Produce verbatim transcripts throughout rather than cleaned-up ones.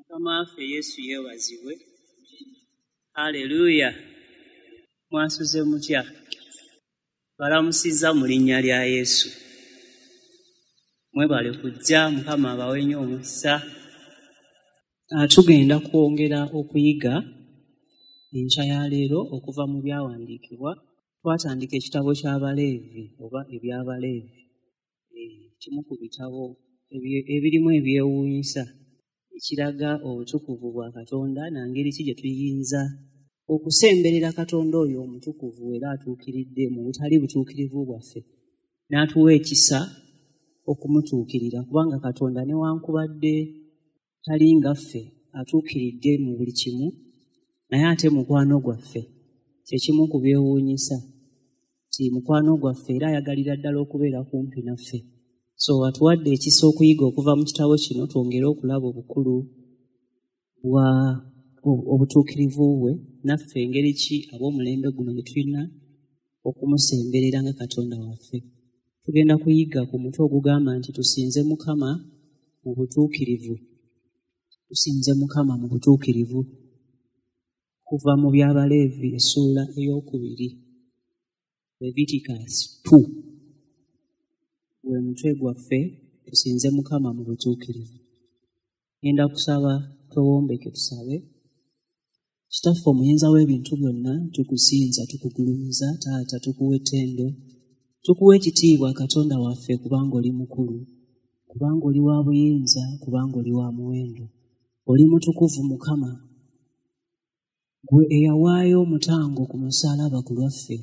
Mukama waffe Yesu yeebazibwe. Haleluya. Mwasuze mutya? Balamusizza mu linnya lya Yesu. Mwebale kujja, Mukama abawe nnyo omukisa. Tugenda kwongera okuyiga enkya ya leero okuva mu byawandiikibwa. Twatandika ekitabo ky'Abaleevi oba eby'Abaleevi, kimu ku bitabo ebirimu ebyewuunyisa ekiraga obutukuvu bwa Katonda na ngeri ki gye tuyinza okusemberera Katonda oyo omutukuvu era atuukiridde mu butali butuukirivu bwaffe, n'atuwa ekisa okumutuukirira, kubanga Katonda newankubadde tali nga ffe atuukiridde mu buli kimu, naye ate mukwano gwaffe. Kye kimu ku byewuunyisa nti mukwano gwaffe era ayagalira ddala okubeera kumpi naffe. So atuwadde ekisa okuyiga okuva mu kitabo kino twongere okulaba obukulu bwa obutuukirivu bwe, naffe engeri ki ab'omulembe guno gye tulina okumusemberera nga Katonda waffe. Tugenda kuyiga ku mutwe ogugamba nti tusinze Mukama mu butuukirivu. Tusinze Mukama mu butuukirivu kuva mu by'Abaleevi essuula ey'okubiri, Leviticus two. Gwe mutwe gwaffe, tusinze Mukama mu butuukirivu. Ngenda kusaba twewombeke tusabe. Kitaffe omuyinza w'ebintu byonna, tukusinza, tukugulumiza, Taata tukuwa ettendo, tukuwa ekitiibwa Katonda waffe, kubanga oli mukulu, kubanga oli wa buyinza, kubanga oli wa muwendo. Oli mutukuvu Mukama, gwe eyawaayo omutango ku musaalaba ku lwaffe,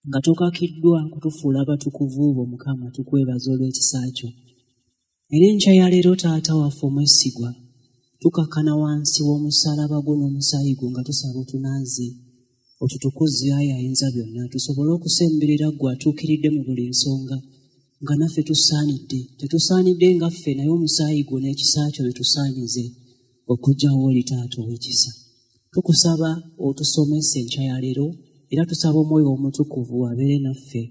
nga tokakiddwa kutufuula batukuvu bo Mukama, tukwebaza olw'ekisa kyo. Era enkya ya leero Taata waffe omwesigwa, tukakkana wansi w'omusaalaba gwo n'omusaayi gwo nga tusaba otunaaze, otutukuze ayi ayinza byonna, tusobole okusemberera ggwe atuukiridde mu buli nsonga, nga naffe tusaanidde. Tetusaanidde nga ffe, naye omusaayi gwo n'ekisa kyo bitusaanyize okujja w'oli Taata ow'ekisa. Tukusaba otusomese enkya ya leero, era tusaba Omwoyo Omutukuvu abeere naffe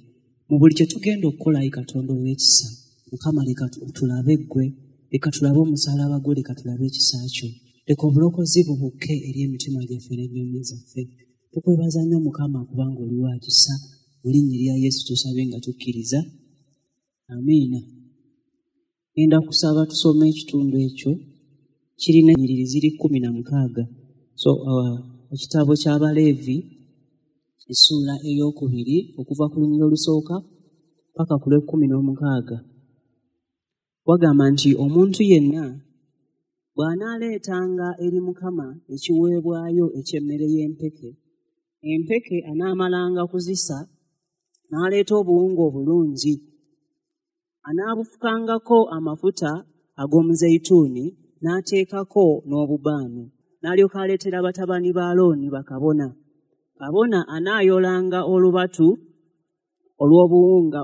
mu buli kye tugenda okukola ayi Katonda ow'ekisa. Mukama leka tulabe ggwe, leka tulabe omusaalaba gwo, leka tulabe ekisa kyo, leka obulokozi bubukke eri emitima gyaffe n'emmeeme zaffe. Tukwebaza nnyo Mukama kubanga oli wa kisa. Mu linnya lya Yesu tusabe nga tukkiriza, amiina. Ngenda kusaba tusome ekitundu ekyo, kirina ennyiriri ziri kkumi na mukaaga. So uh, ekitabo ky'Abaleevi essuula ey'okubiri okuva ku lunyiriri olusooka paka ku lw'ekkumi n'omukaaga. Wagamba nti omuntu yenna bw'anaaleetanga eri Mukama ekiweebwayo eky'emmere y'empeke, empeke anaamalanga kuzisa n'aleeta obuwunga obulungi, anaabufukangako amafuta ag'omuzeyituuni n'ateekako n'obubaani, n'alyoka aleetera batabani ba Alooni bakabona. Kabona anaayolanga olubatu olw'obuwunga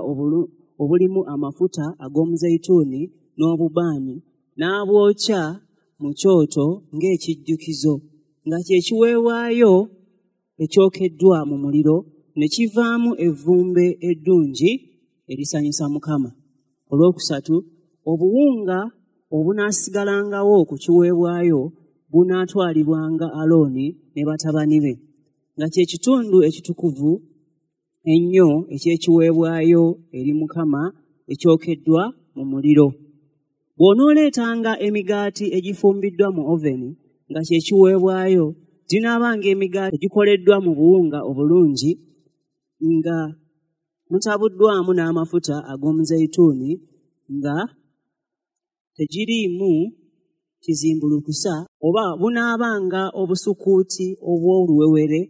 obulimu amafuta ag'omuzeyituuni n'obubaani, n'abwokya mu kyoto ng'ekijjukizo, nga kye kiweebwayo ekyokeddwa mu muliro, ne kivaamu evvumbe eddungi erisanyusa Mukama. Olwokusatu, obuwunga obunaasigalangawo ku kiweebwayo bunaatwalibwanga Alooni ne batabani be, nga kye kitundu ekitukuvu ennyo eky'ekiweebwayo eri Mukama ekyokeddwa mu muliro. Bw'onooleetanga emigaati egifumbiddwa mu oveni nga kye kiweebwayo, ginaabanga emigaati egikoleddwa mu buwunga obulungi nga mutabuddwamu n'amafuta ag'omuzeyituuni, nga tegiriimu kizimbulukusa, oba bunaabanga obusukuuti obw'oluwewere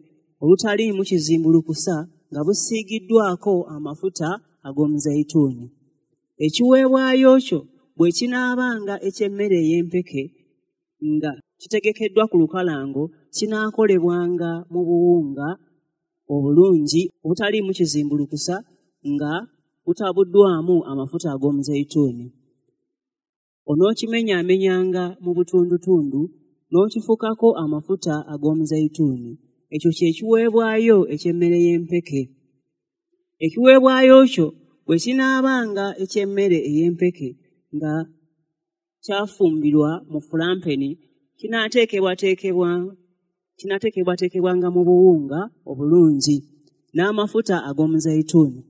olutaliimu kizimbulukusa nga busiigiddwako amafuta ag'omuzeyituuni. Ekiweebwayo kyo bwe kinaabanga eky'emmere ey'empeke nga kitegekeddwa ku lukalango, kinaakolebwanga mu buwunga obulungi obutaliimu kizimbulukusa nga butabuddwamu amafuta ag'omuzeyituuni. Onookimenyaamenyanga mu butundutundu n'okifukako amafuta ag'omuzeyituuni. Ekyo kye kiweebwayo eky'emmere y'empeke. Ekiweebwayo kyo bwe kinaabanga eky'emmere ey'empeke nga kyafumbirwa mu fulampeni kinaateekebwateekebwa kinaateekebwateekebwanga mu buwunga obulungi n'amafuta ag'omuzeyituuni.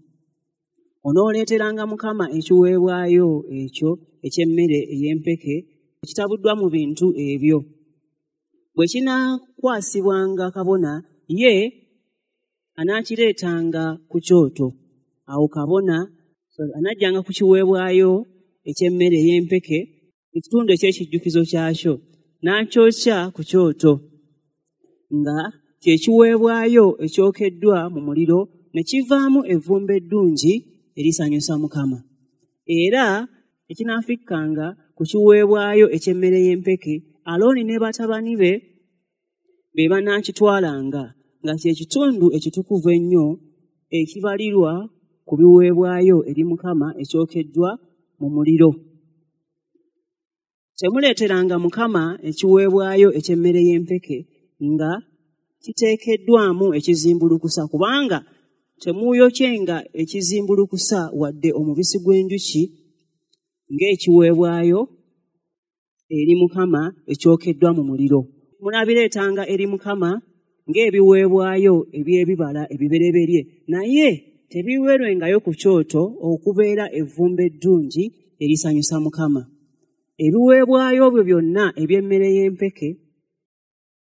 Onooleeteranga Mukama ekiweebwayo ekyo eky'emmere ey'empeke ekitabuddwa mu bintu ebyo. Bwe kinaakwasibwanga kabona, ye anaakireetanga ku kyoto. Awo kabona anajjanga ku kiweebwayo eky'emmere ey'empeke ekitundu eky'ekijjukizo kyakyo n'akyokya ku kyoto, nga kye kiweebwayo ekyokeddwa mu muliro ne kivaamu evvumbe eddungi erisanyusa Mukama. Era ekinaafikkanga ku kiweebwayo eky'emmere y'empeke, Alooni ne batabani be be banaakitwalanga, nga kye kitundu ekitukuvu ennyo ekibalirwa ku biweebwayo eri Mukama ekyokeddwa mu muliro. Temuleeteranga Mukama ekiweebwayo eky'emmere y'empeke nga kiteekeddwamu ekizimbulukusa, kubanga temuuyokyenga ekizimbulukusa wadde omubisi gw'enjuki ng'ekiweebwayo eri Mukama ekyokeddwa mu muliro. Munaabireetanga eri Mukama ng'ebiweebwayo eby'ebibala ebibereberye, naye tebiweerwengayo ku kyoto okubeera evvumbe eddungi erisanyusa Mukama. Ebiweebwayo byo byonna eby'emmere y'empeke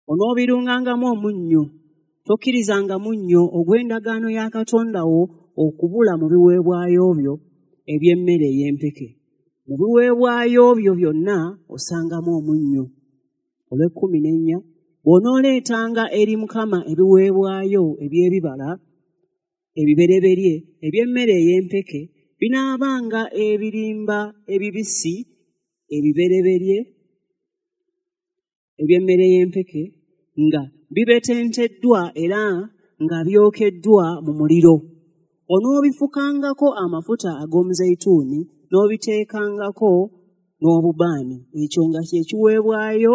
onoobirungangamu omunnyo. Tokkirizanga munnyo ogw'endagaano ya Katonda wo okubula mu biweebwayo byo eby'emmere ey'empeke. Mu biweebwayo byo byonna osangamu omunnyo. Olw'ekkumi n'ennya, bw'onooleetanga eri Mukama ebiweebwayo eby'ebibala ebibereberye eby'emmere ey'empeke, binaabanga ebirimba ebibisi ebibereberye eby'emmere y'empeke nga bibetenteddwa era nga byokeddwa mu muliro. Onoobifukangako amafuta ag'omuzeyituuni n'obiteekangako n'obubaani, ekyo nga kye kiweebwayo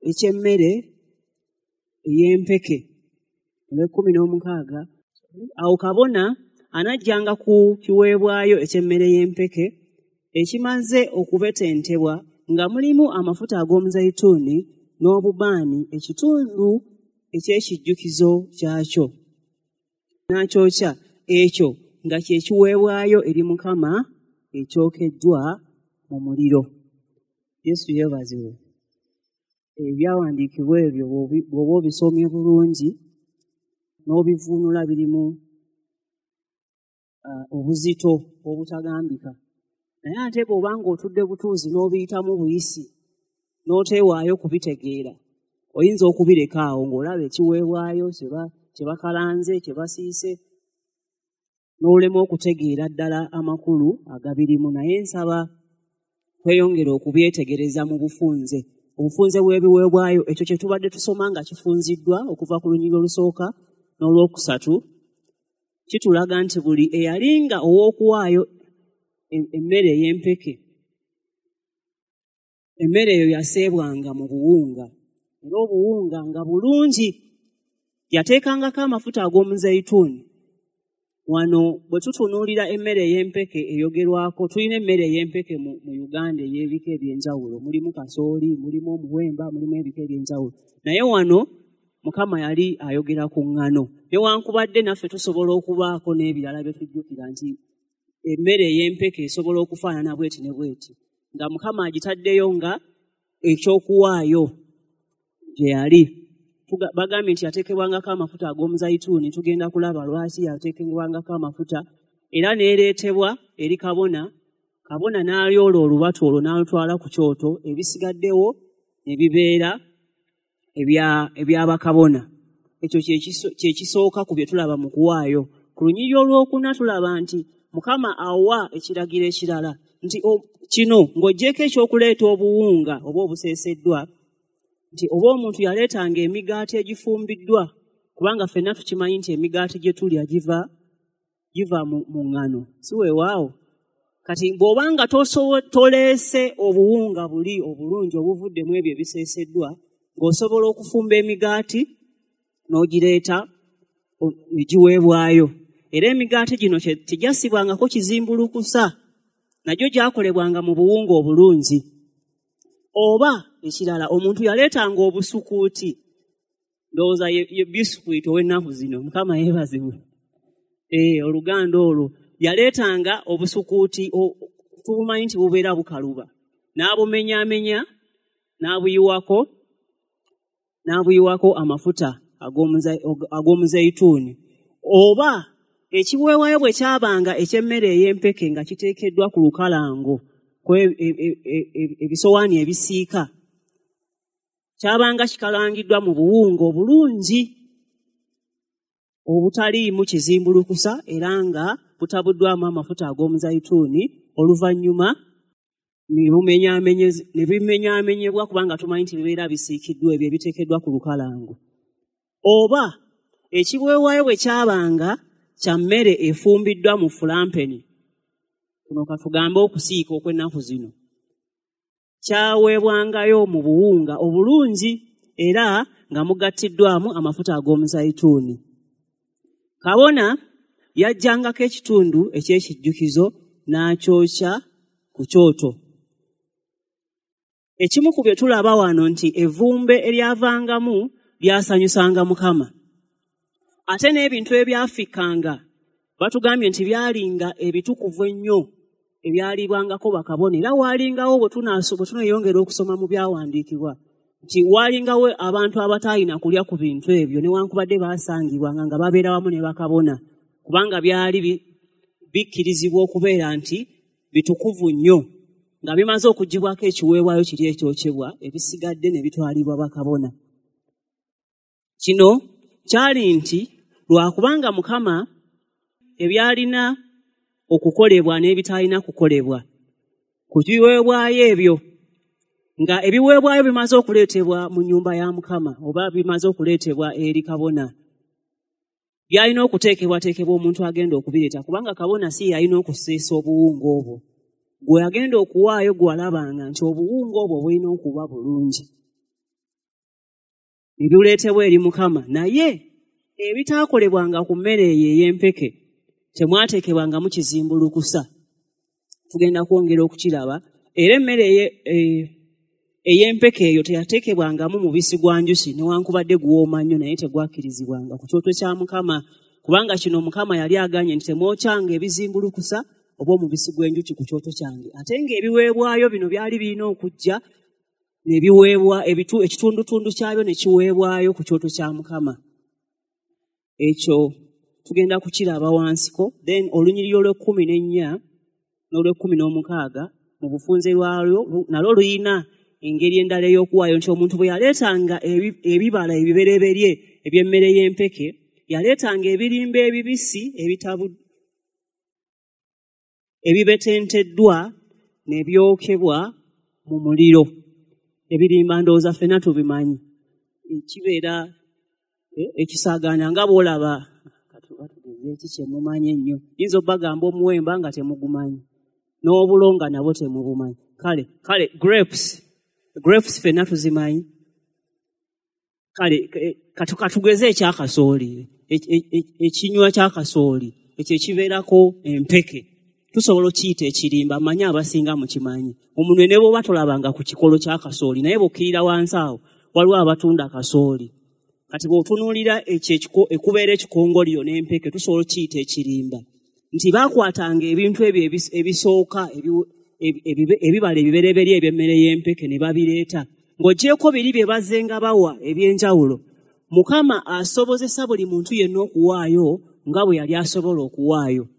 eky'emmere ey'empeke. Olw'ekkumi n'omukaaga, awo kabona anajjanga ku kiweebwayo eky'emmere y'empeke ekimaze okubetentebwa nga mulimu amafuta ag'omuzeyituuni n'obubaani, ekitundu eky'ekijjukizo kyakyo, n'akyokya, ekyo nga kye kiweebwayo eri Mukama ekyokeddwa mu muliro. Yesu yeebazibwe. Ebyawandiikibwa ebyo bw'oba obisomye bulungi n'obivuunula birimu obuzito obutagambika. Naye ate bw'oba ng'otudde butuuzi n'obiyitamu buyisi n'oteewaayo kubitegeera, oyinza okubireka awo ng'olaba ekiweebwayo kye bakalanze, kye basiise, n'olema okutegeera ddala amakulu agabirimu. Naye nsaba tweyongere okubyetegereza mu bufunze. Obufunze bw'ebiweebwayo, ekyo kye tubadde tusoma nga kifunziddwa okuva ku lunyiriri olusooka n'olwokusatu, kitulaga nti buli eyalinga ow'okuwaayo emmere ey'empeke, emmere eyo yaseebwanga mu buwunga, era obuwunga nga bulungi. Yateekangako amafuta ag'omuzeyituuni. Wano bwe tutunuulira emmere ey'empeke eyogerwako, tulina emmere ey'empeke mu, mu Uganda ey'ebika eby'enjawulo. Mulimu kasooli, mulimu omuwemba, mulimu ebika eby'enjawulo. Naye wano Mukama yali ayogera ku ŋŋano. Newankubadde naffe tusobola okubaako n'ebirala bye tujjukira nti emmere ey'empeke esobola okufaanana bweti ne bweti, nga Mukama agitaddeyo nga ekyokuwaayo gye yali. Bagambye nti yateekebwangako amafuta ag'omuzayituuni, tugenda kulaba lwaki yateekebwangako amafuta, era n'ereetebwa eri kabona. Kabona n'alyola olubatu olwo n'alutwala ku kyoto, ebisigaddewo ne bibeera eby'abakabona. Ekyo kye kisooka ku bye tulaba mu kuwaayo. Ku lunyiriri olwokuna tulaba nti Mukama awa ekiragiro ekirala nti kino ng'oggyeko ekyokuleeta obuwunga oba obuseeseddwa, nti oba omuntu yaleetanga emigaati egifumbiddwa, kubanga ffenna tukimanyi nti emigaati gye tulya giva giva mu, mu ŋŋano, si weewaawo? Kati bw'obanga toleese obuwunga buli obulungi obuvuddemu ebyo ebiseeseddwa, ng'osobola okufumba emigaati n'ogireeta ne giweebwayo. Era emigaati gino tegyasibwangako kizimbulukusa, nagyo gyakolebwanga mu buwunga obulungi. Oba ekirala, omuntu yaleetanga obusukuuti, ndowooza ye, ye bisikuiti ow'ennaku zino, Mukama yeebazibwe. Eh, oluganda olwo yaleetanga obusukuuti, tubumanyi nti bubeera bukaluba, n'abumenyaamenya, n'abuyiwako, n'abuyiwako amafuta ag'omuzeyituuni. Oba ekiweebwayo bwe kyabanga eky'emmere ey'empeke nga kiteekeddwa ku lukalango, ebisowaani ebisiika, kyabanga kikalangiddwa mu buwunga obulungi obutaliimu kizimbulukusa era nga butabuddwamu amafuta ag'omuzayituuni, oluvannyuma ne bimenyaamenyebwa kubanga tumanyi nti bibeera bisiikiddwa ebyo ebiteekeddwa ku lukalango. Oba ekiweebwayo bwe kyabanga kya mmere efumbiddwa mu fulampeni, kuno katugambe okusiika okw'ennaku zino, kyaweebwangayo mu buwunga obulungi era nga mugattiddwamu amafuta ag'omuzayituuni. Kabona yajjangako ekitundu eky'ekijjukizo n'akyokya ku kyoto. Ekimu ku bye tulaba wano nti evvumbe eryavangamu lyasanyusanga Mukama. Ate n'ebintu ebyafikkanga batugambye nti byalinga ebitukuvu ennyo ebyalibwangako bakabona. Era waalingawo bwe tunaayongera okusoma mu byawandiikibwa nti waalingawo abantu abataalina kulya ku bintu ebyo newankubadde baasangibwanga nga babeera wamu ne bakabona, kubanga byali bikkirizibwa okubeera nti bitukuvu nnyo, nga bimaze okuggyibwako ekiweebwayo kiri ekyokyebwa, ebisigadde ne bitwalibwa bakabona. Kino kyali nti lwakubanga Mukama ebyalina okukolebwa n'ebitaalina kukolebwa ku biweebwayo ebyo, nga ebiweebwayo bimaze okuleetebwa mu nnyumba ya Mukama oba bimaze okuleetebwa eri kabona, byalina okuteekebwateekebwa omuntu agenda okubireeta, kubanga kabona si yalina okuseesa obuwunga obwo. Gwe agenda okuwaayo gw'alabanga nti obuwunga obwo bulina okuba bulungi, ne bireetebwa eri Mukama. Naye ebitaakolebwanga ku mmere eyo ey'empeke temwateekebwangamu kizimbulukusa. Tugenda kwongera okukiraba. Era emmere ey'empeke eyo teyateekebwangamu mubisi gwa njuki, newankubadde guwooma nnyo, naye tegwakkirizibwanga ku kyoto kya Mukama, kubanga kino Mukama yali aganye nti temwokyanga ebizimbulukusa oba omubisi gw'enjuki ku kyoto kyange. Ate ng'ebiweebwayo bino byali birina okujja ne biweebwa, ekitundutundu kyabyo ne kiweebwayo ku kyoto kya Mukama. Ekyo tugenda kukiraba wansiko. Then olunyiriri olw'ekkumi n'ennya n'olw'ekkumi n'omukaaga mu bufunze lwalwo nalwo luyina engeri endala ey'okuwaayo nti omuntu bwe yaleetanga ebibala ebibereberye eby'emmere y'empeke, yaleetanga ebirimba ebibisi ebitabu ebibetenteddwa ne byokebwa mu muliro. Ebirimba ndowooza ffenna tubimanyi, kibeera ekisaagaana nga bw'olaba eki kyemumanyi ennyo. Yinza obbagamba omuwemba nga temugumanyi, n'obulo nga nabwo temubumanyi. Kale kale grapes, grapes ffenna tuzimanyi. Kale katugeze ekyakasooli, ekinywa kyakasooli ekyo ekibeerako empeke, tusobola okiyita ekirimba. Mmanyi abasinga mukimanyi. Omunwe ne bw'oba tolabanga ku kikolo kya kasooli, naye bw'okkirira wansi awo waliwo abatunda kasooli. Kati bw'otunuulira ekyo ekubeera ekikongoliro n'empeke, tusobola okiyita ekirimba. Nti baakwatanga ebintu ebyo ebisooka, ebibala ebibereberye eby'emmere y'empeke ne babireeta. Ng'oggyeeko biri bye bazzenga bawa eby'enjawulo, Mukama asobozesa buli muntu yenna okuwaayo nga bwe yali asobola okuwaayo.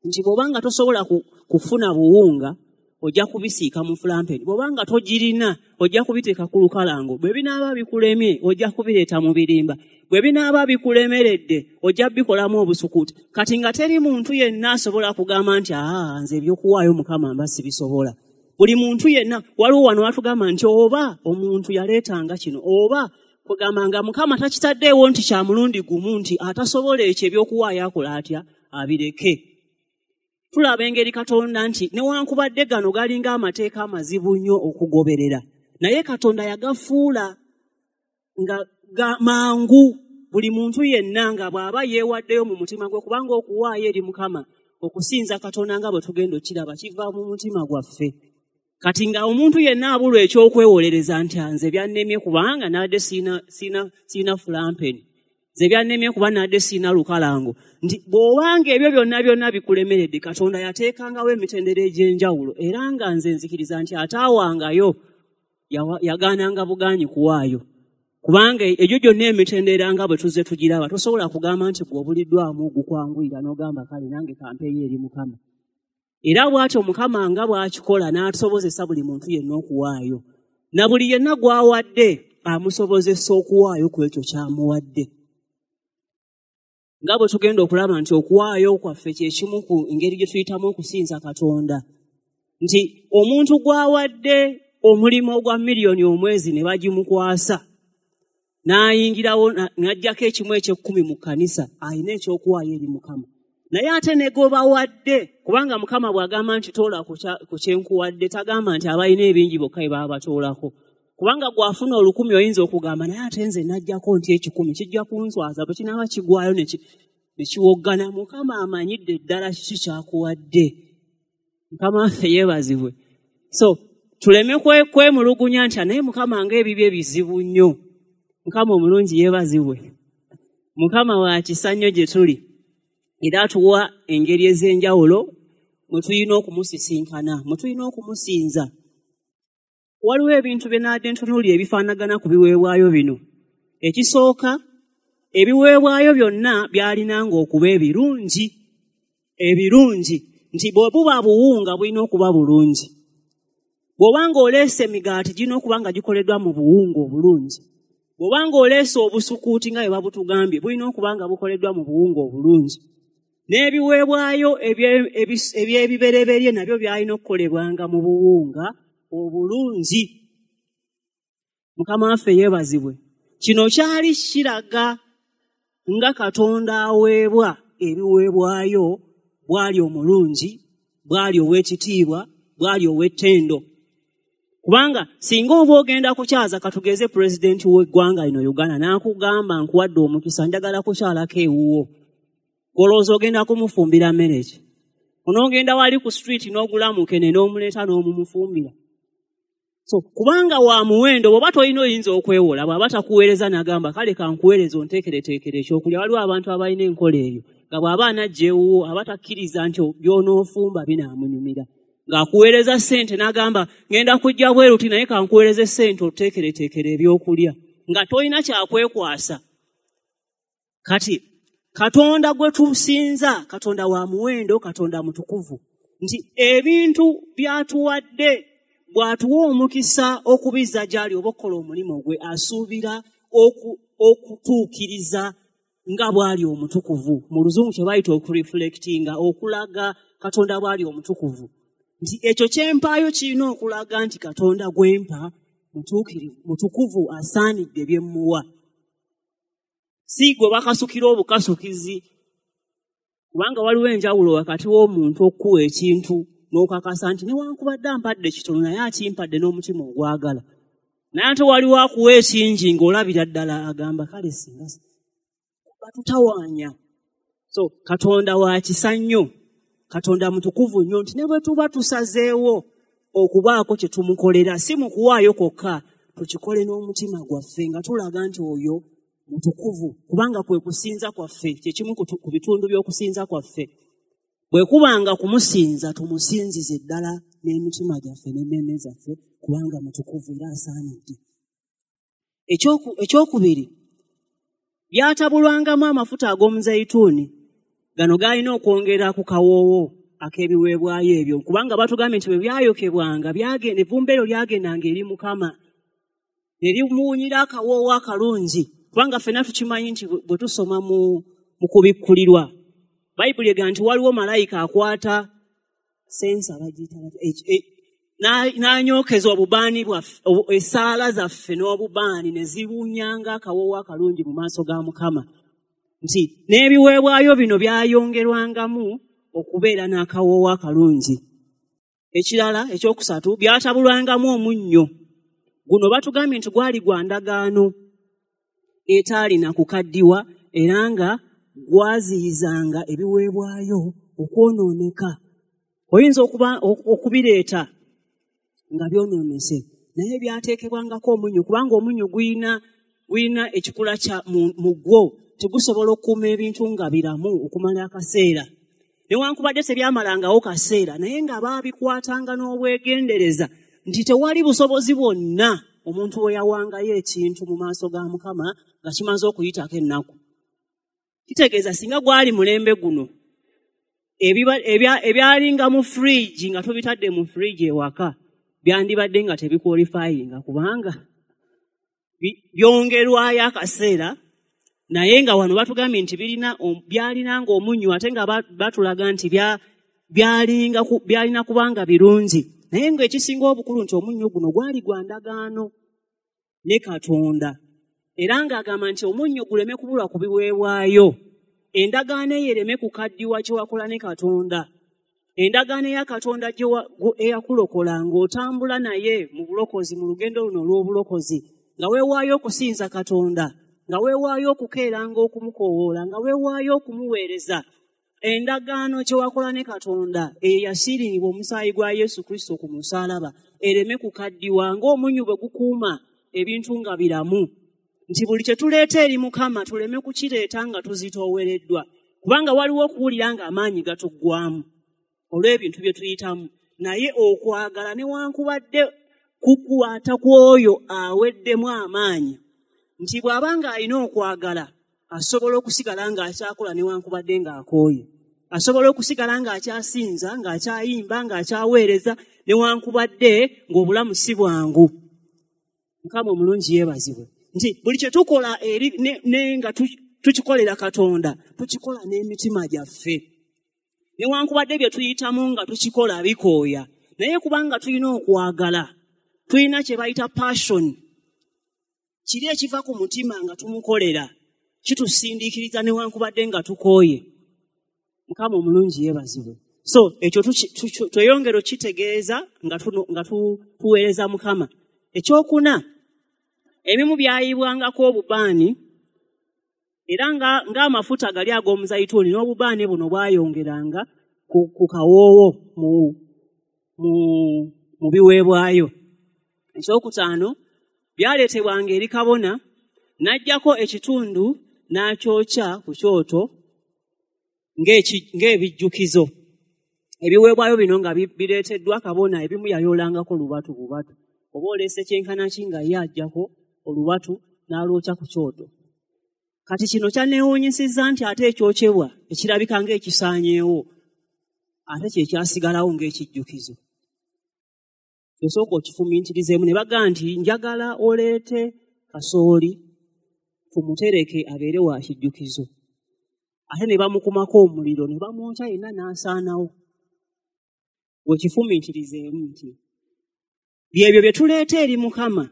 Nti bw'obanga tosobola kufuna buwunga, ojja kubisiika mu fulampeni. Bw'obanga togirina, ojja kubiteeka ku lukalango. Bwe binaaba bikulemye, ojja kubireeta mu birimba. Bwe binaaba bikulemeredde, ojja bikolamu obusukuuti. Kati nga teri muntu yenna asobola kugamba nti aa nze ebyokuwaayo Mukama mba sibisobola. Buli muntu yenna, waliwo wano watugamba nti oba omuntu yaleetanga kino, oba kugamba nga Mukama takitaddeewo nti kya mulundi gumu, nti atasobola ekyo ebyokuwaayo akola atya, abireke. Tulaba engeri Katonda nti newankubadde gano galinga amateeka amazibu nnyo okugoberera, naye Katonda yagafuula nga mangu buli muntu yenna nga bw'aba yeewaddeyo mu mutima gwe, kubanga okuwaayo eri Mukama, okusinza Katonda nga bwe tugenda okiraba, kiva mu mutima gwaffe. Kati nga omuntu yenna abulwa ekyokwewolereza nti nze byannemye kubanga nadde siina siina siina fulampeni, nze byannemye kuba nadde siina lukalango, nti bw'obanga ebyo byonna byonna bikulemeredde, Katonda yateekangawo emitendera egy'enjawulo. Era nga nze nzikiriza nti ataawangayo yagaananga bugaanyi kuwaayo, kubanga egyo gyonna emitendera nga bwe tuzze tugiraba, tosobola kugamba nti gwe obuliddwamu gukwanguyira n'ogamba kale nange kampeeyo eri Mukama. Era bw'atyo Mukama nga bw'akikola n'atusobozesa buli muntu yenna okuwaayo, na buli yenna gw'awadde amusobozesa okuwaayo ku ekyo ky'amuwadde. Nga bwe tugenda okulaba nti okuwaayo kwaffe kye kimu ku ngeri gye tuyitamu okusinza Katonda, nti omuntu gw'awadde omulimu ogwa miliyoni omwezi ne bagimukwasa n'ayingirawo n'aggyako ekimu eky'ekkumi mu kkanisa, alina ekyokuwaayo eri Mukama. Naye ate ne gwebawadde, kubanga Mukama bw'agamba nti toola ku kyenkuwadde, tagamba nti abalina ebingi bokka be baba batoolako. Kubanga gw'afuna olukumi oyinza okugamba naye ate nze najjako nti ekikumi kijja kunswaza, bwe kinaaba kigwayo ne kiwoggana. Mukama amanyidde ddala kiki ky'akuwadde. Mukama waffe yeebazibwe. So tuleme kwemulugunya nti naye Mukama ng'ebibye bizibu nnyo. Mukama omulungi yeebazibwe. Mukama wa kisa nnyo gye tuli, era atuwa engeri ez'enjawulo mwe tulina okumusisinkana, mwe tulina okumusinza. Waliwo ebintu bye naadde ntunuulira ebifaanagana ku biweebwayo bino. Ekisooka, ebiweebwayo byonna byalinanga okuba ebirungi, ebirungi, nti bwe buba buwunga bulina okuba bulungi, bw'obanga oleese emigaati girina okuba nga gikoleddwa mu buwunga obulungi, bw'obanga oleese obusukuuti nga bwe babutugambye bulina okuba nga bukoleddwa mu buwunga obulungi. N'ebiweebwayo eby'ebibereberye nabyo byalina okukolebwanga mu buwunga obulungi. Mukama waffe yeebazibwe. Kino kyali kiraga nga Katonda aweebwa ebiweebwayo bw'ali omulungi, bw'ali ow'ekitiibwa, bw'ali ow'ettendo. Kubanga singa oba ogenda kukyaza, katugeze pulezidenti w'eggwanga lino Uganda n'akugamba nkuwadde omukisa njagala kukyalako ewuwo, olowooza ogenda kumufumbira mmere ki? Onoogenda wali ku street n'ogula mukene n'omuleeta n'omumufumbira? So kubanga wa muwendo, bw'oba tolina oyinza okwewola, bw'aba takuweereza n'agamba kale kankuweereze onteekereteekere ekyokulya. Waliwo abantu abalina enkola eyo nga bw'aba anajja ewuwo aba takkiriza nti by'onoofumba binaamunyumira, ng'akuweereza ssente n'agamba ngenda kujja bweru ti naye kankuweereze ssente oteekereteekere ebyokulya, nga tolina kyakwekwasa. Kati Katonda gwe tusinza, Katonda wa muwendo, Katonda mutukuvu, nti ebintu by'atuwadde bw'atuwa omukisa okubizza gy'ali oba okukola omulimu gwe, asuubira okutuukiriza nga bw'ali omutukuvu. Mu Luzungu kye bayita okureflectinga, okulaga Katonda bw'ali omutukuvu, nti ekyo kyempaayo kirina okulaga nti Katonda gwempa mutuukirivu, mutukuvu, asaanidde bye mmuwa. Si gwe bakasukira obukasukizi, kubanga waliwo enjawulo wakati w'omuntu okuwa ekintu n'okakasa nti newankubadde ampadde kitono naye akimpadde n'omutima ogwagala, naye ate waliwo akuwa ekingi ng'olabira ddala agamba kale singa batutawaanya. So Katonda wa kisa nnyo, Katonda mutukuvu nnyo, nti ne bwe tuba tusazeewo okubaako kye tumukolera, si mu kuwaayo kwokka, tukikole n'omutima gwaffe nga tulaga nti oyo mutukuvu, kubanga kwe kusinza kwaffe, kye kimu ku bitundu by'okusinza kwaffe. Bwe kubanga kumusinza, tumusinzize ddala n'emitima gyaffe n'emmeeme zaffe, kubanga mutukuvu era asaanidde. Ekyokubiri, byatabulwangamu amafuta ag'omuzeyituuni. Gano galina okwongera ku kawoowo ak'ebiweebwayo ebyo, kubanga batugambye nti bwe byayokebwanga, evvumbe eryo lyagendanga eri Mukama ne limuwunyira akawoowo akalungi. Kubanga ffenna tukimanyi nti bwe tusoma mu kubikkulirwa, Bayibuli egamba nti waliwo malayika akwata sensa bagiyita n'anyookeza obubaani bwaffe, essaala zaffe n'obubaani ne ziwunyanga akawoowo akalungi mu maaso ga Mukama. Nti n'ebiweebwayo bino byayongerwangamu okubeera n'akawoowo akalungi. Ekirala ekyokusatu, byatabulwangamu omunnyo. Guno batugambye nti gwali gwa ndagaano etaalina kukaddiwa, era nga gwaziyizanga ebiweebwayo okwonooneka. Oyinza okuba okubireeta nga byonoonese, naye byateekebwangako omunnyo, kubanga omunnyo guyina guyina ekikula kya mu gwo, tegusobola okukuuma ebintu nga biramu okumala akaseera. Newankubadde tebyamalangawo kaseera, naye nga baabikwatanga n'obwegendereza nti tewali busobozi bwonna omuntu we yawangayo ekintu mu maaso ga Mukama nga kimaze okuyitako ennaku. Kitegeeza singa gwali mulembe guno, ebyalinga mu fridge nga tubitadde mu fridge ewaka byandibadde nga tebikwalifayinga, kubanga byongerwayo akaseera. Naye nga wano batugambye nti birina byalinanga omunnyo, ate nga batulaga nti byalinga byalina kubanga birungi. Naye ng'ekisinga obukulu nti omunnyo guno gwali gwa ndagaano ne Katonda, era ng'agamba nti omunnyo guleme kubulwa ku biweebwayo, endagaano eyo ereme kukaddiwa kye wakola ne Katonda. Endagaano eya Katonda eyakulokola ng'otambula naye mu bulokozi, mu lugendo luno olw'obulokozi, nga weewaayo okusinza Katonda, nga weewaayo okukeeranga okumukoowoola, nga weewaayo okumuweereza. Endagaano kye wakola ne Katonda eyo yasiiringibwa omusaayi gwa Yesu Kristo ku musaalaba, ereme kukaddiwa ng'omunnyo bwe gukuuma ebintu nga biramu. Nti buli kye tuleeta eri Mukama tuleme kukireeta nga tuzitoowereddwa, kubanga waliwo okuwulira ng'amaanyi gatuggwamu olw'ebintu bye tuyitamu. Naye okwagala newankubadde kukwata kw'oyo aweddemu amaanyi, nti bw'aba ng'alina okwagala asobola okusigala ng'akyakola newankubadde ng'akooye, asobola okusigala ng'akyasinza, ng'akyayimba, ng'akyaweereza newankubadde ng'obulamu si bwangu. Mukama omulungi yeebazibwe nti buli kye tukola eri ne nga tukikolera Katonda, tukikola n'emitima gyaffe. Newankubadde bye tuyitamu nga tukikola bikooya, naye kubanga tulina okwagala, tulina kye bayita passion, kiri ekiva ku mutima nga tumukolera, kitusindiikiriza newankubadde nga tukooye. Mukama omulungi yeebazibwe. So ekyo tweyongera okitegeeza nga tuweereza Mukama. Ekyokuna, ebimu byayibwangako obubaani, era ng'amafuta gali ag'omuzayituuni n'obubaani buno bwayongeranga ku kawoowo mu biweebwayo. Ekyokutaano, byaleetebwanga eri kabona n'aggyako ekitundu n'akyokya ku kyoto ng'ebijjukizo. Ebiweebwayo bino nga bireeteddwa kabona, ebimu yayoolangako lubatu bubatu, oba oleese kyenkana ki nga ye aggyako olubatu n'alwokya ku kyoto. Kati kino kyanneewuunyisizza nti ate ekyokyebwa ekirabika ng'ekisaanyeewo ate kye kyasigalawo ng'ekijjukizo. Osooka okifumiitirizeemu ne bagamba nti njagala oleete kasooli tumutereke abeere wa kijjukizo, ate ne bamukumako omuliro ne bamwokya yenna n'asaanawo. Wekifumiitirizeemu nti byebyo bye tuleeta eri Mukama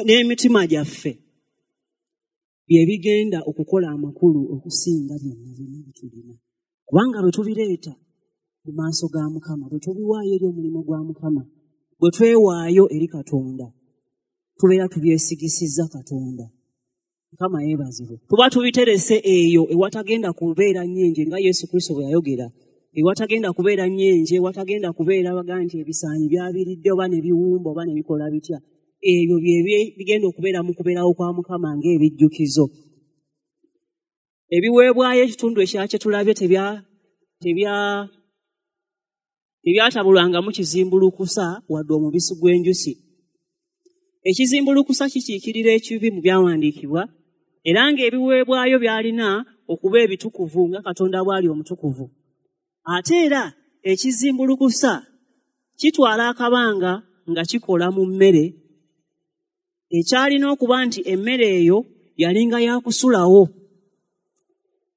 n'emitima gyaffe bye bigenda okukola amakulu okusinga byonna byonna bye tulina, kubanga bwe tubireeta mu maaso ga Mukama, bwe tubiwaayo eri omulimu gwa Mukama, bwe twewaayo eri Katonda, tubeera tubyesigisizza Katonda. Mukama yeebazibwe. Tuba tubiterese eyo ewatagenda kubeera nnyenje, nga Yesu Kristo bwe yayogera, ewatagenda kubeera nnyenje, ewatagenda kubeera baga nti ebisaanyi byabiridde oba ne biwumba oba ne bikola bitya. Ebyo bye bigenda okubeera mu kubeerawo kwa Mukama ng'ebijjukizo. Ebiweebwayo ekitundu ekya kye tulabye tebya tebya tebyatabulwangamu kizimbulukusa wadde omubisi gw'enjuki. Ekizimbulukusa kikiikirira ekibi mu byawandiikibwa, era ng'ebiweebwayo byalina okuba ebitukuvu nga Katonda bw'ali omutukuvu. Ate era ekizimbulukusa kitwala akabanga nga kikola mu mmere, ekyalina okuba nti emmere eyo yalinga yakusulawo,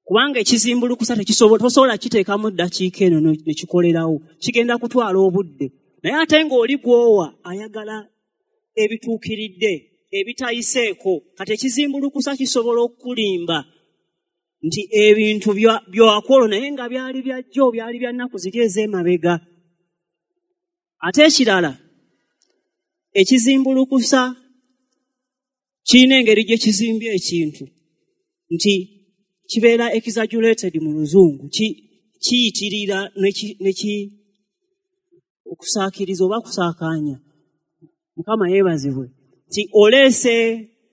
kubanga ekizimbulukusa tosobola kiteekamu ddakiika eno ne kikolerawo, kigenda kutwala obudde. Naye ate ng'oli gw'owa ayagala ebituukiridde ebitayiseeko. Kati ekizimbulukusa kisobola okukulimba nti ebintu byakwolwo naye nga byali bya jjo, byali bya nnaku ziri ez'emabega. Ate ekirala, ekizimbulukusa kirina engeri gye kizimbye ekintu nti kibeera exaggerated mu luzungu, kiyitirira neki Okusaakiriza oba kusaakaanya. Mukama yeebazibwe. Nti oleese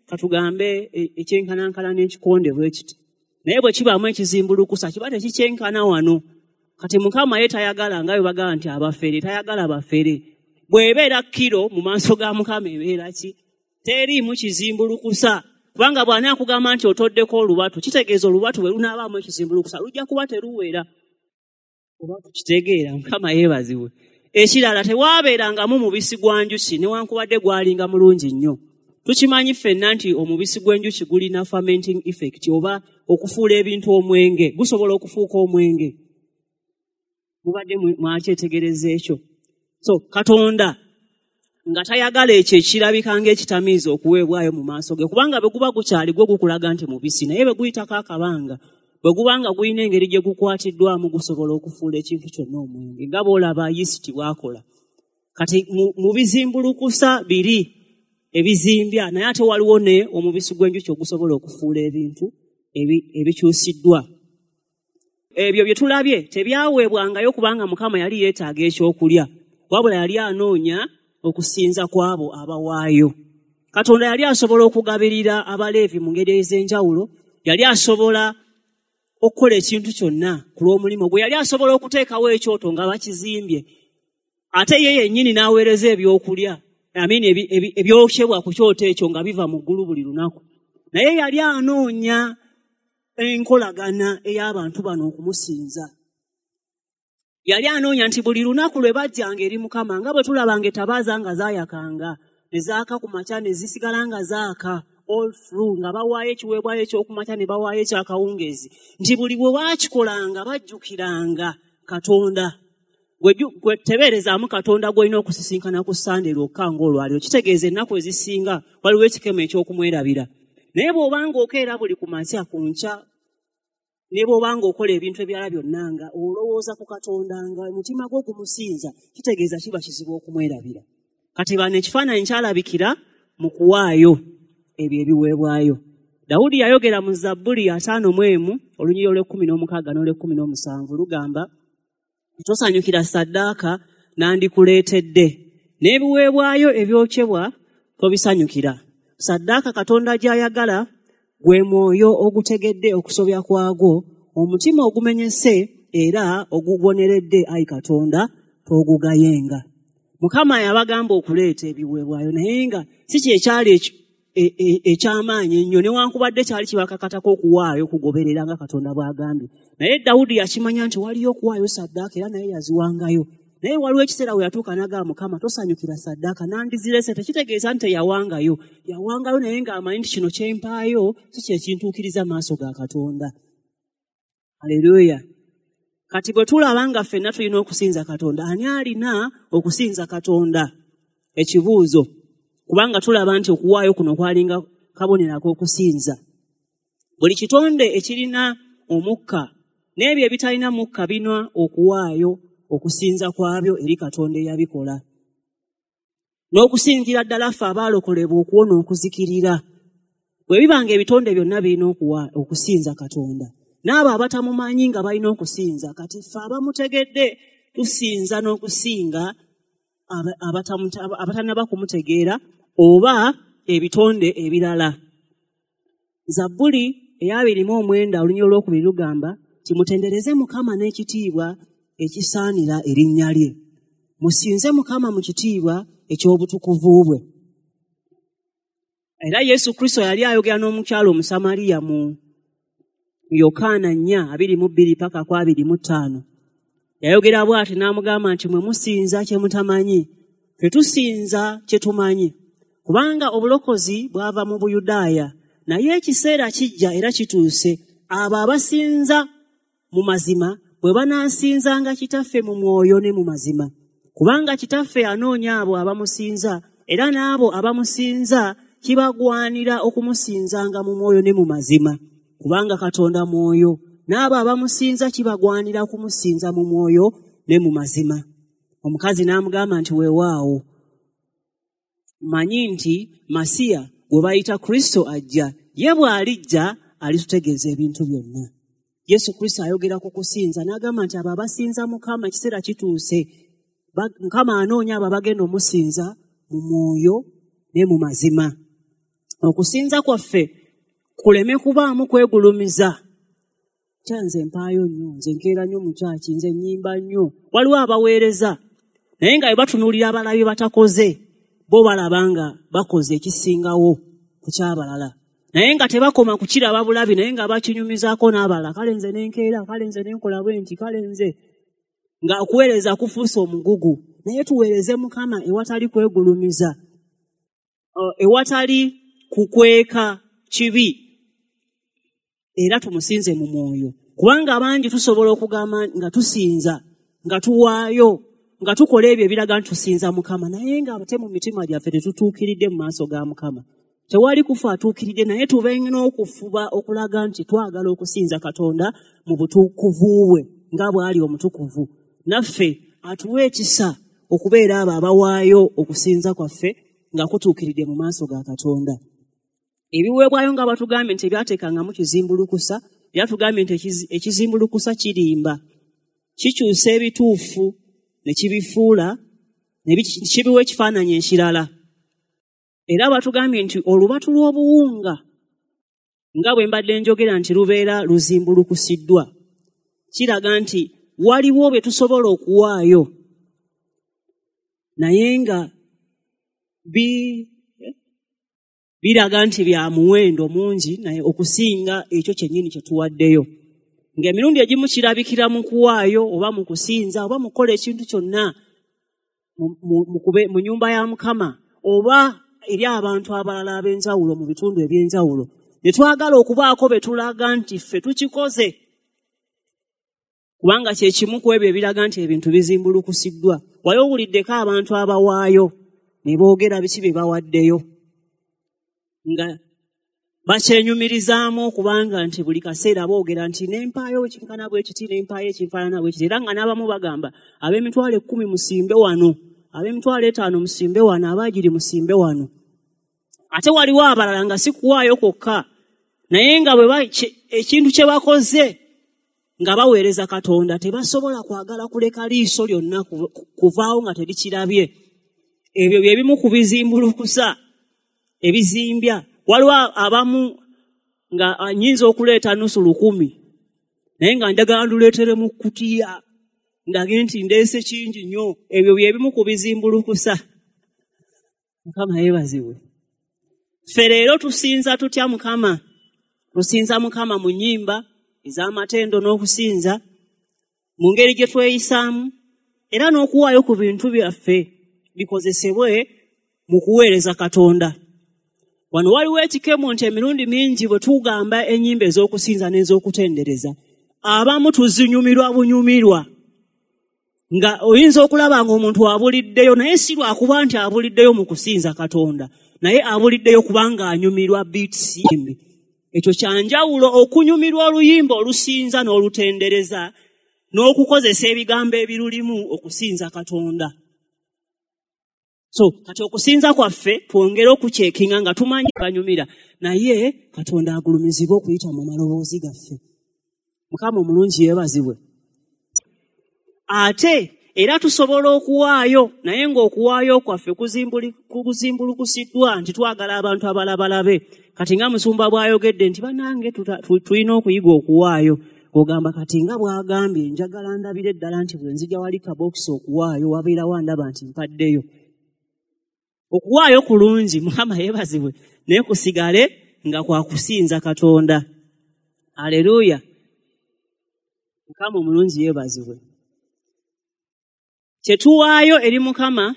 katugambe ekyenkanankana n'ekikonde bwe kiti. Naye bwe kibaamu ekizimbulukusa kiba tekikyenkana wano. Kati Mukama ye tayagala nga bwe bagamba nti abafere, tayagala bafere. Bw'ebeera kiro mu maaso ga Mukama ebeera ki? Teriimu kizimbulukusa. Kubanga bw'anaakugamba nti otoddeko olubatu, kitegeeza olubatu bwe lunaabaamu ekizimbulukusa lujja kuba teruwera. Oba tukitegeera, Mukama yeebazibwe. Ekirala tewaabeerangamu mubisi gwa njuki newankubadde gwalinga mulungi nnyo. Tukimanyi ffenna nti omubisi gw'enjuki gulina fermenting effect oba okufuula ebintu omwenge, gusobola okufuuka omwenge. Mubadde mwakyetegereza ekyo. So Katonda nga tayagala ekyo ekirabika ng'ekitamiiza okuweebwayo mu maaso ge, kubanga bwe guba gukyali gwo gukulaga nti mubisi, naye bwe guyitako akabanga, bwe guba nga gulina engeri gye gukwatiddwamu gusobola okufuula ekintu kyonna omwenge, nga bw'olaba yisiti bw'akola. Kati mu bizimbulukusa biri ebizimbya, naye ate waliwo ne omubisi gw'enjuki ogusobola okufuula ebintu ebikyusiddwa. Ebyo bye tulabye tebyaweebwangayo kubanga Mukama yali yeetaaga ekyokulya, wabula yali anoonya okusinza kw'abo abawaayo. Katonda yali asobola okugabirira Abaleevi mu ngeri ez'enjawulo, yali asobola okukola ekintu kyonna ku lw'omulimu gwe, yali asobola okuteekawo ekyoto nga bakizimbye, ate ye yennyini n'aweereza ebyokulya, I mean ebyokyebwa ku kyoto ekyo nga biva mu ggulu buli lunaku. Naye yali anoonya enkolagana ey'abantu bano okumusinza. Yali anoonya nti buli lunaku lwe bajjanga eri Mukama, nga bwe tulabanga ettabaaza nga zaayakanga, ne zaaka ku makya ne zisigala nga zaaka all through, nga bawaayo ekiweebwayo ekyokumakya ne bawaayo ekyakawungeezi, nti buli bwe baakikolanga bajjukiranga Katonda. Gwe tebeerezaamu Katonda gw'olina okusisinkana ku Ssande lwokka ng'olwaliro, kitegeeza ennaku ezisinga waliwo ekikemo eky'okumwerabira. Naye bw'obanga okeera buli ku makya ku nkya, ne bw'obanga okola ebintu ebirala byonna nga olowooza ku Katonda nga omutima gwo gumusinza, kitegeeza kiba kizibu okumwerabira. Kati bano ekifaananyi kyalabikira mu kuwaayo ebyo ebiweebwayo. Dawudi yayogera mu Zabbuli ataano mu emu olunyiriri olw'ekkumi n'omukaaga n'olw'ekkumi n'omusanvu lugamba, tosanyukira ssaddaaka nandikuleetedde, n'ebiweebwayo ebyokyebwa tobisanyukira. Ssaddaaka Katonda gy'ayagala gwe mwoyo ogutegedde okusobya kwagwo, omutima ogumenyese era oguboneredde, ayi Katonda togugayenga. Mukama yabagamba okuleeta ebiweebwayo, naye nga si kyekyali eky'amaanyi ennyo, newankubadde kyali kibakakatako okuwaayo okugoberera nga Katonda bw'agambye. Naye Dawudi yakimanya nti waliyo okuwaayo ssaddaaka era naye yaziwangayo. Naye waliwo ekiseera we yatuuka n'agamba Mukama tosanyukira ssaddaaka nandizirese. Tekitegeeza nti teyawangayo, yawangayo naye ng'amanyi nti kino kye mpaayo si kye kintuukiriza maaso ga Katonda. Haleluya. Kati bwe tulaba nga ffenna tulina okusinza Katonda, ani alina okusinza Katonda? Ekibuuzo. Kubanga tulaba nti okuwaayo kuno kwalinga kabonero ak'okusinza. Buli kitonde ekirina omukka n'ebyo ebitalina mukka binwa okuwaayo okusinza kwabyo eri Katonda eyabikola. N'okusingira ddala ffe abaalokolebwa okuwona okuzikirira. Bwe bibanga ebitonde byonna birina okusinza Katonda, n'abo abatamumanyi nga balina okusinza, kati ffe abamutegedde tusinza n'okusinga abatannaba kumutegeera oba ebitonde ebirala. Zabbuli ey'abiri mu omwenda olunyiriri olwokubiri lugamba nti mutendereze Mukama n'ekitiibwa ekisaanira erinnya lye. Musinze Mukama mu kitiibwa eky'obutukuvu bwe. Era Yesu Kristo yali ayogera n'omukyala Omusamaliya mu Yokaana nnya abiri mu bbiri paka ku abiri mu ttaano. Yayogera bw'ati n'amugamba nti mwe musinza kye mutamanyi, ffe tusinza kye tumanyi, kubanga obulokozi bwava mu Buyudaaya. Naye ekiseera kijja era kituuse abo abasinza mu mazima bwe banaasinzanga Kitaffe mu mwoyo ne mu mazima, kubanga Kitaffe anoonya abo abamusinza, era n'abo abamusinza kibagwanira okumusinzanga mu mwoyo ne mu mazima, kubanga Katonda mwoyo, n'abo abamusinza kibagwanira okumusinza mu mwoyo ne mu mazima. Omukazi n'amugamba nti weewaawo, mmanyi nti Masiya gwe bayita Kristo ajja, ye bw'alijja alitutegeeza ebintu byonna. Yesu Kristo ayogera ku kusinza n'agamba nti abo abasinza Mukama ekiseera kituuse Mukama anoonya abo abagenda omusinza mu mwoyo ne mu mazima. Okusinza kwaffe kuleme kubaamu kwegulumiza. Kyanze mpaayo nnyo, nze nkeera nnyo mu kyaki, nze nnyimba nnyo. Waliwo abaweereza naye nga bwe batunuulira abalala bye batakoze, bo balaba nga bakoze ekisingawo ku ky'abalala. Naye nga tebakoma kukiraba bulabi, naye nga bakinyumizaako n'abalala. Kale nze nenkeera, kale nze nenkola bwe nti, kale nze. Nga okuweereza kufuuse omugugu. Naye tuweereze Mukama ewatali kwegulumiza, ewatali kukweka kibi, era tumusinze mu mwoyo. Kubanga bangi tusobola okugamba nga tusinza, nga tuwaayo, nga tukola ebyo ebiraga nti tusinza Mukama, naye nga ate mu mitima gyaffe tetutuukiridde mu maaso ga Mukama. Tewali kufa atuukiridde, naye tube n'okufuba okulaga nti twagala okusinza Katonda mu butukuvu bwe nga bw'ali omutukuvu. Naffe atuwe ekisa okubeera abo abawaayo okusinza kwaffe nga kutuukiridde mu maaso ga Katonda. Ebiweebwayo nga batugambye nti ebyateekangamu kizimbulukusa, byatugambye nti ekizimbulukusa kirimba, kikyusa ebituufu ne kibifuula, ne kibiwa ekifaananyi ekirala. Era batugambye nti olubatu lw'obuwunga nga bwe mbadde njogera nti lubeera luzimbulukusiddwa, kiraga nti waliwo bye tusobola okuwaayo naye nga bi biraga nti bya muwendo mungi naye okusinga ekyo kyennyini kye tuwaddeyo. Ng'emirundi egimu kirabikira mu kuwaayo oba mu kusinza oba mu kukola ekintu kyonna mu nnyumba ya Mukama oba eri abantu abalala ab'enjawulo mu bitundu eby'enjawulo, ne twagala okubaako be tulaga nti ffe tukikoze, kubanga kye kimu ku ebyo ebiraga nti ebintu bizimbulukusiddwa. Wali owuliddeko abantu abawaayo ne boogera biki bye bawaddeyo, nga bakyenyumirizaamu okubanga nti buli kaseera boogera nti nempaayo ekinkana bwe kiti, nempaayo ekifaanana bwe kiti. Era nga n'abamu bagamba ab'emitwalo ekkumi musimbe wano, ab'emitwalo etaano musimbe wano, abaagiri musimbe wano. Ate waliwo abalala nga si kuwaayo kwokka, naye nga bwe ekintu kye bakoze nga baweereza Katonda tebasobola kwagala kuleka liiso lyonna kuvaawo nga terikirabye. Ebyo bye bimu ku bizimbulukusa ebizimbya. Waliwo abamu nga nnyinza okuleeta nusu lukumi naye nga njagala nduleetere mu kkutiya ndage nti ndeese kingi nnyo. Ebyo bye bimu ku bizimbulukusa. Mukama yeebazibwe. Ffe leero tusinza tutya Mukama? Tusinza Mukama mu nnyimba ez'amatendo n'okusinza, mu ngeri gye tweyisaamu, era n'okuwaayo ku bintu byaffe bikozesebwe mu kuweereza Katonda. Wano waliwo ekikemo nti emirundi mingi bwe tugamba ennyimba ez'okusinza n'ez'okutendereza, abamu tuzinyumirwa bunyumirwa, nga oyinza okulaba ng'omuntu abuliddeyo, naye si lwakuba nti abuliddeyo mu kusinza Katonda, naye abuliddeyo kubanga anyumirwa beats embi. Ekyo kyanjawulo okunyumirwa oluyimba olusinza n'olutendereza n'okukozesa ebigambo ebirulimu okusinza Katonda. So kati okusinza kwaffe twongere okukyekinga nga tumanyi banyumira, naye Katonda agulumizibwe okuyita mu maloboozi gaffe. Mukama omulungi yeebazibwe. Ate era tusobola okuwaayo, naye ng'okuwaayo kwaffe kuzimbulukusiddwa nti twagala abantu abalabalabe. Kati nga musumba bw'ayogedde nti bannange tulina okuyiga okuwaayo, ogamba kati nga bw'agambye njagala ndabire ddala nti bwe nzija wali kabokisi okuwaayo wabeerawo andaba nti mpaddeyo. Okuwaayo kulungi, Mukama yeebazibwe, naye kusigale nga kwa kusinza Katonda. Aleluya. Mukama omulungi yeebazibwe. Kye tuwaayo eri Mukama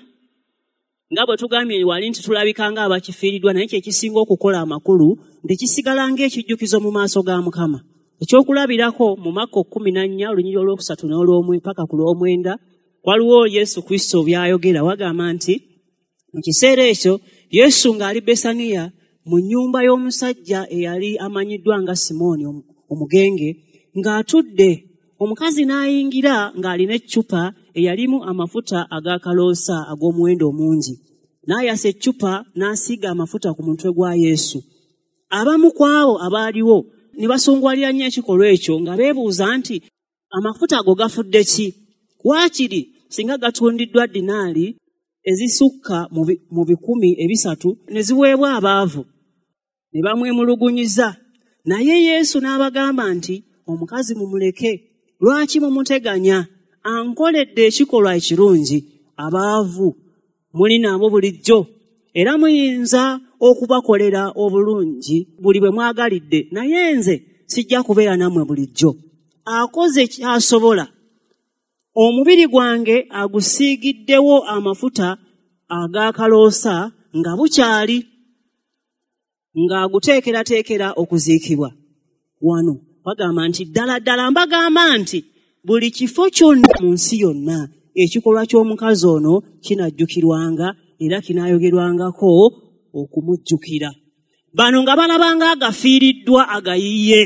nga bwe tugambye wali nti tulabika nga abakifiiriddwa, naye kye kisinga okukola amakulu nti kisigala ng'ekijjukizo mu maaso ga Mukama. Ekyokulabirako mu Makko kkumi na nnya olunyiriri olwokusatu n'olwomwe paka ku lw'omwenda, waliwo Yesu Kristo by'ayogera. Wagamba nti mu kiseera ekyo Yesu ng'ali Besaniya mu nnyumba y'omusajja eyali amanyiddwa nga Simooni omugenge, ng'atudde, omukazi n'ayingira ng'alina eccupa eyalimu amafuta ag'akaloosa ag'omuwendo omungi. N'ayasa eccupa n'asiiga amafuta ku mutwe gwa Yesu. Abamu ku abo abaaliwo ne basungwalira nnyo ekikolwa ekyo nga beebuuza nti amafuta ago gafudde ki? Waakiri singa gatundiddwa dinaali ezisukka mu bikumi ebisatu ne ziweebwa abaavu. Ne bamwemulugunyiza. Naye Yesu n'abagamba nti, omukazi mumuleke, lwaki mumuteganya? Ankoledde ekikolwa ekirungi. Abaavu muli nabo bulijjo, era muyinza okubakolera obulungi buli bwe mwagalidde, naye nze sijja kubeera nammwe bulijjo. Akoze ky'asobola. Omubiri gwange agusiigiddewo amafuta ag'akaloosa nga bukyali, ng'aguteekerateekera okuziikibwa. Wano bagamba nti ddala ddala mbagamba nti buli kifo kyonna mu nsi yonna ekikolwa ky'omukazi ono kinajjukirwanga era kinaayogerwangako okumujjukira. Bano nga balabanga agafiiriddwa agayiye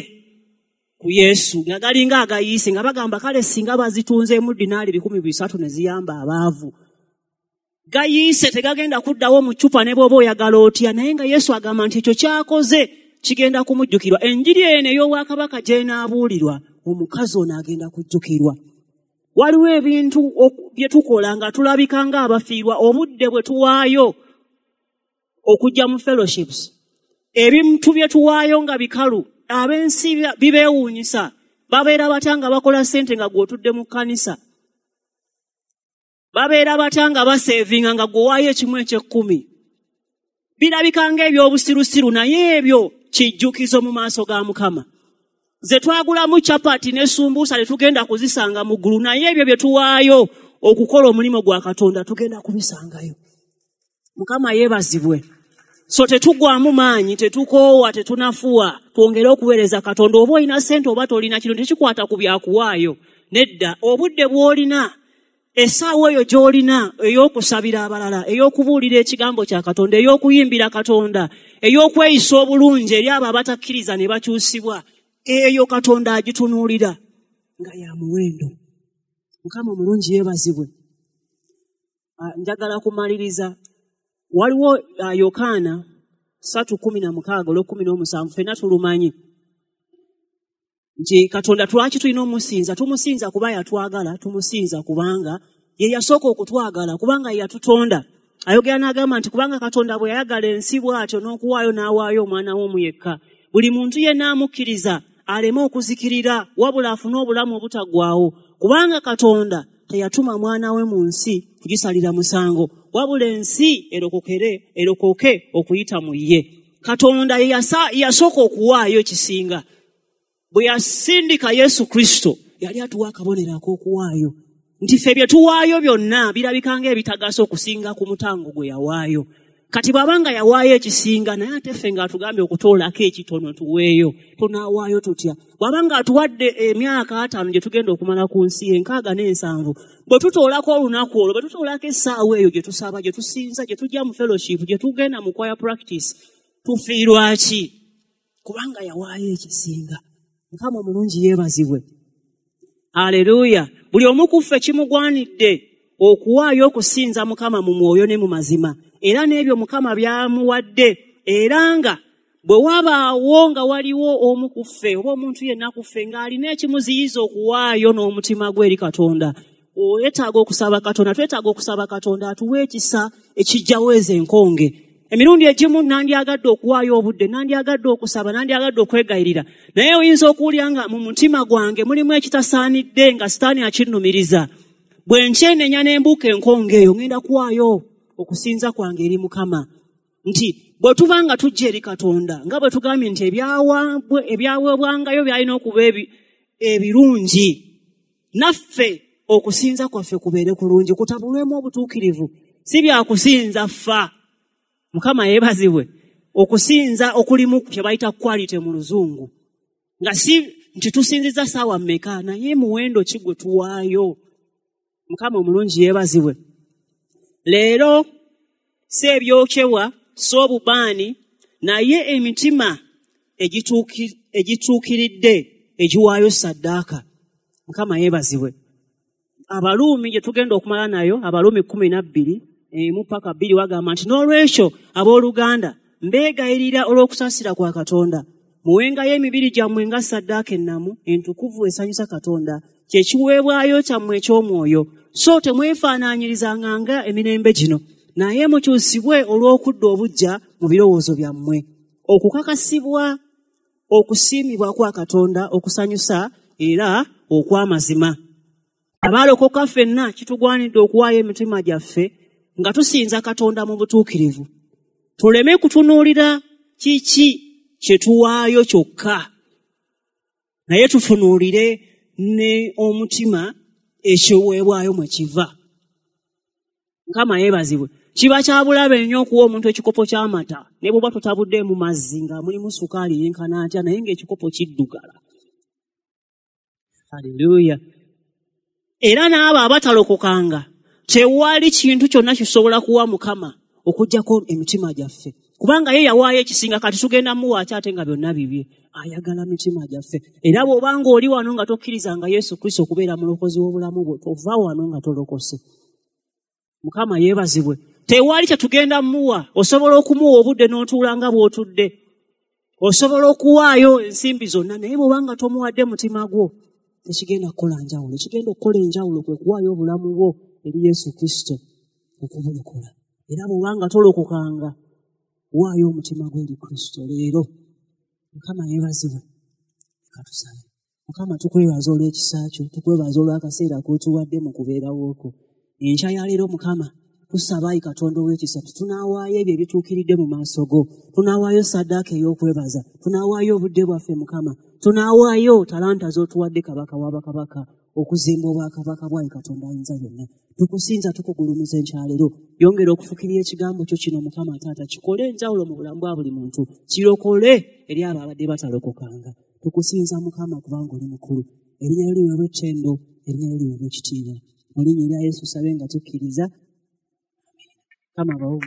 ku Yesu, nga galinga agayiise, nga bagamba kale singa bazitunzeemu dinaali bikumi bisatu ne ziyamba abaavu. Gayiise tegagenda kuddawo mu ccupa ne bw'oba oyagala otya, naye nga Yesu agamba nti ekyo ky'akoze kigenda kumujjukirwa. Enjiri eno ey'obwakabaka gy'enaabuulirwa, omukazi ono agenda kujjukirwa. Waliwo ebintu bye tukola nga tulabika ng'abafiirwa obudde bwe tuwaayo okujja mu fellowships. Ebintu bye tuwaayo nga bikalu, ab'ensi bibeewuunyisa. Babeera batya nga bakola ssente nga gw'otudde mu kkanisa? Babeera batya nga baseevinga nga gw'owaayo ekimu eky'ekkumi? Birabika ng'ebyobusirusiru, naye ebyo kijjukizo mu maaso ga Mukama. Ze twagulamu chapati ne sumbuusa tetugenda kuzisanga mu ggulu, naye ebyo bye tuwaayo okukola omulimu gwa Katonda tugenda kubisangayo. Mukama yeebazibwe. So tetugwamu maanyi, tetukoowa, tetunafuwa, twongere okuweereza Katonda. Oba olina ssente oba tolina, kino tekikwata ku byakuwaayo. Nedda, obudde bw'olina, essaawa eyo gy'olina ey'okusabira abalala, ey'okubuulira ekigambo kya Katonda, ey'okuyimbira Katonda, ey'okweyisa obulungi eri abo abatakkiriza ne bakyusibwa, eyo Katonda agitunuulira nga ya muwendo. Mukama omulungi yeebazibwe. Njagala kumaliriza. Waliwo Yokaana ssatu kkumi na mukaaga olw'ekkumi n'omusanvu, ffenna tulumanyi nti Katonda lwaki tulina omusinza? Tumusinza kuba yatwagala, tumusinza kubanga ye yasooka okutwagala, kubanga ye yatutonda. Ayogera n'agamba nti kubanga Katonda bwe yayagala ensi bw'atyo n'okuwaayo n'awaayo omwana we omu yekka, buli muntu yenna amukkiriza aleme okuzikirira wabula afune obulamu obutaggwaawo. Kubanga Katonda teyatuma mwana we mu nsi kugisalira musango, wabula ensi erokokere erokoke okuyita mu ye. Katonda ye yasooka okuwaayo ekisinga. Bwe yasindika Yesu Kristo, yali atuwa akabonero ak'okuwaayo, nti ffe bye tuwaayo byonna birabika ng'ebitagasa okusinga ku mutango gwe yawaayo. Kati bw'aba nga yawaayo ekisinga, naye ate ffe ng'atugambye okutoolako ekitono tuweeyo, tunaawaayo tutya? Bw'aba ng'atuwadde emyaka ataano gye tugenda okumala ku nsi, enkaaga n'ensanvu, bwe tutoolako olunaku olwo, bwe tutoolako essaawa eyo gye tusaba, gye tusinza, gye tujja mu fellowship, gye tugenda mu choir practice, tufiirwa ki? Kubanga yawaayo ekisinga. Mukama omulungi yeebazibwe. Haleluya. Buli omu ku ffe kimugwanidde okuwaayo okusinza Mukama mu mwoyo ne mu mazima, era n'ebyo Mukama by'amuwadde. Era nga bwe wabaawo nga waliwo omu ku ffe oba omuntu yenna ku ffe ng'alina ekimuziyiza okuwaayo n'omutima gwe eri Katonda, oyetaaga okusaba Katonda, twetaaga okusaba Katonda atuwe ekisa ekijjawo ezo enkonge. Emirundi egimu nandyagadde okuwaayo obudde, nandyagadde okusaba, nandyagadde okwegayirira, naye oyinza okuwulira nga mu mutima gwange mulimu ekitasaanidde nga Sitaani akinnumiriza. Bwe nkyenenya ne mbuuka enkonge eyo, ngenda kuwaayo okusinza kwange eri Mukama. Nti bwe tuba nga tujja eri Katonda, nga bwe tugambye nti ebyaweebwangayo byalina okuba ebirungi, naffe okusinza kwaffe kubeere kulungi, kutabulwemu obutuukirivu, si byakusinza ffa. Mukama yeebazibwe. Okusinza okulimu kye bayita quality mu Luzungu, nga si nti tusinziza ssaawa mmeka, naye muwendo ki gwe tuwaayo. Mukama omulungi yeebazibwe. Leero si ebyokyebwa, si obubaani, naye emitima egituukiridde egiwaayo ssaddaaka. Mukama yeebazibwe. Abaluumi gye tugenda okumala nayo, Abaluumi kkumi na bbiri emu paka bbiri, wagamba nti n'olwekyo abooluganda mbeegayirira olw'okusaasira kwa Katonda, muwengayo emibiri gyammwe nga ssaddaaka ennamu entukuvu esanyusa Katonda, kye kiweebwayo kyammwe eky'omwoyo. So temwefaanaanyirizanga nga emirembe gino, naye mukyusibwe olw'okudda obuggya mu birowoozo byammwe, okukakasibwa okusiimibwa kwa Katonda okusanyusa era okw'amazima. Abaalokoka ffenna kitugwanidde okuwaayo emitima gyaffe nga tusinza Katonda mu butuukirivu. Tuleme kutunuulira kiki kye tuwaayo kyokka, naye tutunuulire ne omutima ekiweebwayo mwe kiva. Mukama yeebazibwe. Kiba kya bulabe nnyo okuwa omuntu ekikopo ky'amata ne bw'oba totabuddeemu mazzi nga mulimu sukaali yenkana atya, naye ng'ekikopo kiddugala. Haleluya. Era n'abo abatalokokanga tewali kintu kyonna kisobola kuwa Mukama okuggyako emitima gyaffe, kubanga ye yawaayo ekisinga. Kati tugenda muwa ki ate nga byonna bibye? Ayagala mitima gyaffe. Era bw'obanga oli wano nga tokkirizanga Yesu Kristo okubeera mulokozi w'obulamu bwo, tova wano nga tolokose. Mukama yeebazibwe. Tewali kye tugenda muwa. Osobola okumuwa obudde n'otuula nga bw'otudde, osobola okuwaayo ensimbi zonna, naye bw'obanga tomuwadde mutima gwo tekigenda kukola njawulo. Ekigenda okukola enjawulo kwe kuwaayo obulamu bwo eri Yesu Kristo okubulokola. Era bw'obanga tolokokanga, waayo omutima gwo eri Kristo leero. Mukama yeebazibwe. Leka tusabe. Mukama, tukwebaza olw'ekisa kyo, tukwebaza olw'akaseera k'otuwadde mu kubeerawo kwo. Enkya ya leero Mukama, tusaba ayi Katonda ow'ekisa, tunaawaayo ebyo ebituukiridde mu maaso go, tunaawaayo ssaddaaka ey'okwebaza, tunaawaayo obudde bwaffe Mukama, tunaawaayo talanta z'otuwadde Kabaka w'abakabaka okuzimba obwakabaka bwayi Katonda ayinza byonna. Tukusinza, tukugulumiza enkya leero. Yongera okufukirira ekigambo kyo kino Mukama Taata, kikole enjawulo mu bulamu bwa buli muntu, kirokole eri abo abadde batalokokanga. Tukusinza Mukama kubanga oli mukulu. Erinnya lyo liweebwe ettendo, erinnya lyo liweebwe ekitiibwa. Mu linnya erya Yesu sabe nga tukkiriza. Mukama abawe.